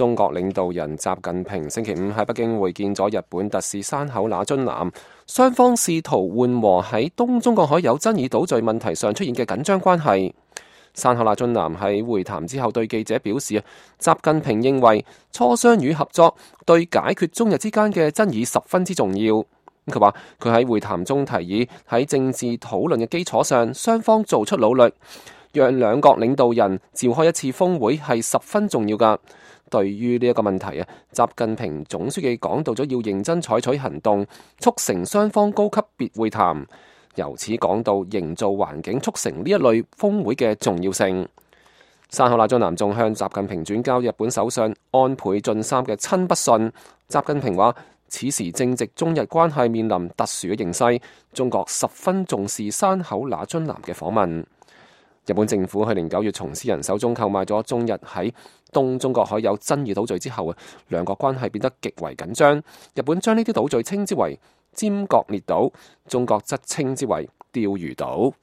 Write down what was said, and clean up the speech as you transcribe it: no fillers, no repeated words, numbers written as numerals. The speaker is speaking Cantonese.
中國領導人習近平星期五喺北京會見咗日本特使山口那津男，雙方試圖緩和喺東中國海有爭議島嶼問題上出現嘅緊張關係。山口那津男喺會談之後對記者表示，習近平認為磋商與合作對解決中日之間嘅爭議十分之重要。佢話佢喺會談中提議喺政治討論嘅基礎上，雙方做出努力，讓兩國領導人召開一次峰會係十分重要㗎。對於呢一個問題習近平總書記講到咗要認真採取行動，促成雙方高級別會談，由此講到營造環境，促成呢一類峰會嘅重要性。山口那津男仲向習近平轉交日本首相安倍晉三嘅親筆信。習近平話：此時正值中日關係面臨特殊嘅形勢，中國十分重視山口那津男嘅訪問。日本政府去年9月從私人手中購買咗中日喺東中國海有爭議島嶼之後，兩國關係變得極為緊張。日本將呢啲島嶼稱之為尖閣列島，中國則稱之為釣魚島。